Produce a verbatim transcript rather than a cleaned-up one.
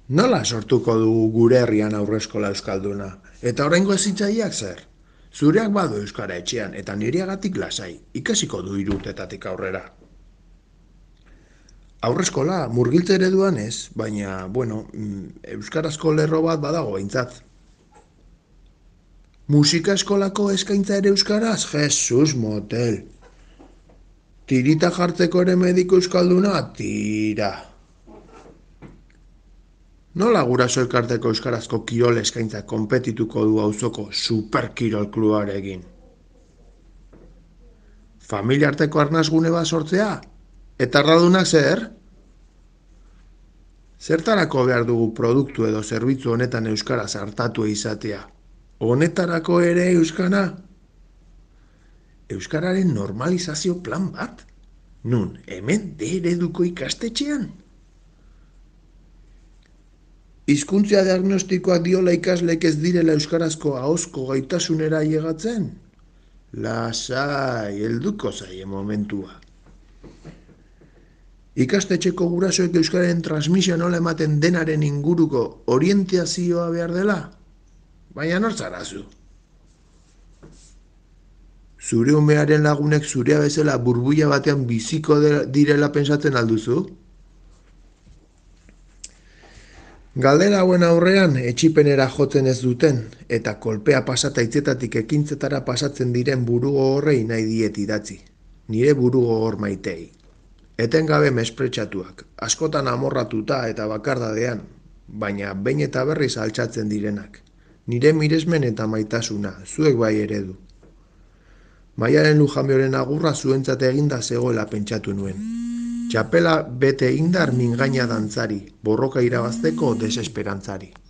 Nola sortuko du gure herrian aurreskola euskalduna? Eta oraingo hezitzaileak zer? Zureak badu euskara etxean eta nireagatik lasai, ikasiko du hirurtetatik aurrera. Aurreskola murgiltze ereduan ez, baina, bueno, mm, euskarazko lerro bat badago behintzat. Musika eskolako eskaintza ere euskaraz? Jesus motel. Tirita jartzeko ere mediko euskalduna? Tira. Nola guraso elkarteko euskarazko kirol eskaintza konpetituko du auzoko superkirol klubarekin? Familia arteko arnasgune bat sortzea? Eta arradunak zer? Zertarako behar dugu produktu edo zerbitzu honetan euskaraz hartatu izatea? Honetarako ere euskara? Euskararen normalizazio plan bat? Nun, hemen de ereduko ikastetxean? Hizkuntzia diagnostikoak diola ikaslek ez direla euskarazko ahozko gaitasunera llegatzen? Lasai, helduko zaie momentua. Ikastetxeko gurasoek euskararen transmisioa nola ematen denaren inguruko orientazioa behar dela? Baina nortzarazu. Zure umearen lagunek zurea bezala burbuila batean biziko direla pentsatzen alduzu? Galdera hauen aurrean etxipenera jotzen ez duten eta kolpea pasata hitzetatik ekintzetara pasatzen diren burugogorrei nahi diet idatzi. Nire burugogor maitei. Etengabe mespretsatuak, askotan amorratuta eta bakardadean, baina behin eta berriz altxatzen direnak. Nire miresmen eta maitasuna, zuek bai eredu. Maialen Lujambioren agurra zuentzat eginda zegoela pentsatu nuen. Txapela bete indar mingaina dantzari, borroka irabazteko desesperantzari.